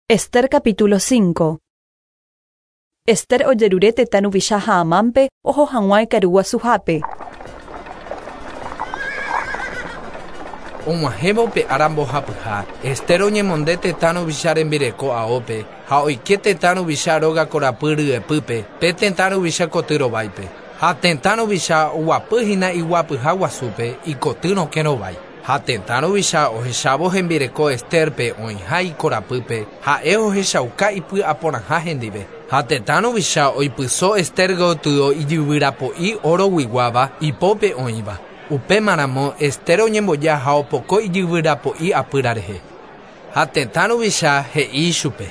Ester capítulo 5. Ester ojerure tetã ruvicha ha Amánpe oho hag̃ua ikaru guasuhápe. Og̃uahẽvo pe ára mbohapyha, Ester oñemonde tetã ruvicha rembireko aópe ha oike tetã ruvicha róga korapy ryepýpe pe tetã ruvicha koty rováipe. Ha tetã ruvicha oguapyhína iguapyha guasúpe ikoty rokẽ rovái. Ha tetã ruvicha ohechávo hembireko Estérpe oĩha ikorapýpe, ha'e ohechauka ipy'aporãha hendive. Ha tetã ruvicha oipyso Ester gotyo ijyvyrapo'i oroguiguáva ipópe oĩva. Upémaramo Ester oñemboja ha opoko ijyvyrapo'i apýra rehe. Ha tetã ruvicha he'i ichupe.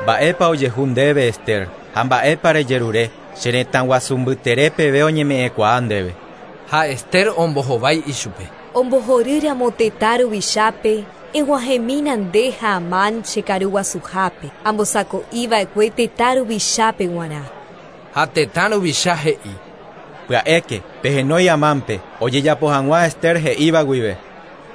Mba'épa ojehu ndéve Ester ha mba'épa rejerure che retã guasu mbytere peve oñeme'ẽkuaa ndéve. Ha Ester ombohovái ichupe. Ombohorýramo tetã ruvichápe, eg̃uahẽmína nde ha Amán che karu guasuhápe, ambosako'iva'ekue tetã ruvichápe g̃uarã. Ha tetã ruvicha he'i. Pya'éke, pehenói Amánpe, ojejapo hag̃ua Ester he'íva guive.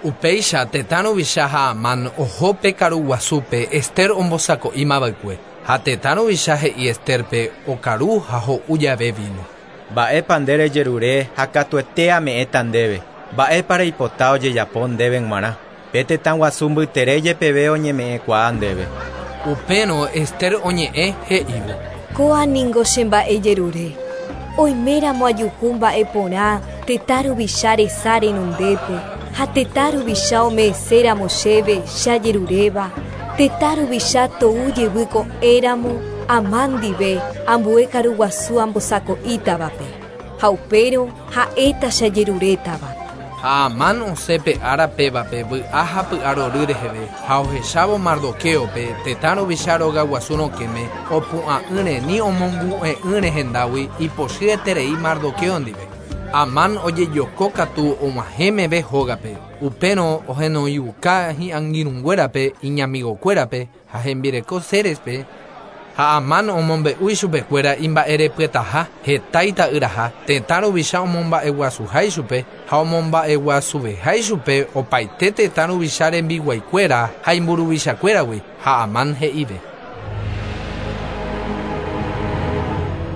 Upéicha tetã ruvicha ha Amán oho pe karu guasúpe Ester ombosako'ímava'ekue. Ha tetã ruvicha he'i Estérpe okaru ha ho'u jave vino. Mba'épa nde rejerure ha katuete ame'ẽta ndéve. Mba'épa reipota ojejapo ndéve g̃uarã. Pe tetã guasu mbytere jepeve oñeme'ẽkuaa ndéve. Upérõ Ester oñe'ẽ he'ívo. Kóa ningo che mba'ejerure. Oiméramo ajuhu mba'e porã tetã ruvicha resa renondépe ha tetã ruvicha ome'ẽséramo chéve che ajeruréva, tetã ruvicha tou jevy ko'ẽramo Amán ndive ambue karu guasu ambosako'ítavape. Ha upérõ ha'éta che ajerurétava. Ha Amán osẽ pe ára pévape vy'a ha py'arory reheve ha ohechávo Mardoquéope tetã ruvicha róga guasu rokẽme opu'ã'ỹre ni omongu'e'ỹre hendágui ipochyeterei Mardoqueo ndive. Amán ojejoko katu og̃uahẽ meve hógape. Upérõ ohenoiuka hi'angirũnguérape, iñamigokuérape ha hembireko Sérespe. Ha Amán omombe'u ichupekuéra imba'erepyetaha, heta ita'yraha, tetã ruvicha omomba'eguasuha ichupe ha omomba'eguasuveha ichupe opaite tetã ruvicha rembiguaikuéra ha imburuvichakuéragui. Ha Amán he'ive.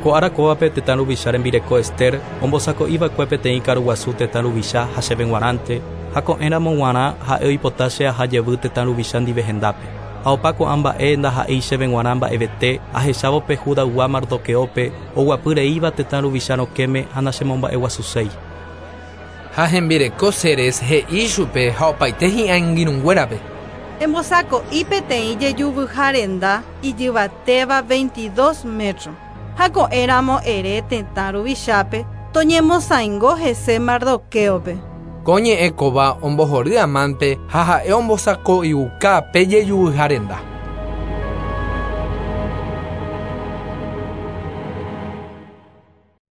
Ko ára kóvape tetã ruvicha rembireko Ester ombosako'iva'ekue peteĩ karu guasu tetã ruvicha ha chéve g̃uarãnte ha ko'ẽramo g̃uarã ha'e oipota che aha jevy tetã ruvicha ndive hendápe. Ha opa ko'ã mba'e ndaha'éi chéve g̃uarã mba'evete ahechávo pe Judaygua Mardoqueópe oguapy reíva tetã ruvicha rokẽme ha nachemomba'eguasuséi. Ha hembireko Seres he'i ichupe ha opaite hi'angirũnguérape. Embosako'i peteĩ jejuvyha renda ijyvatéva 22 metro. Ha ko'ẽramo ere tetã ruvichápe toñemosãingo hese Mardoquéope. Ko ñe'ẽ kóva ombohory Amánpe ha ha'e ombosako'iuka pe jejuvyha renda.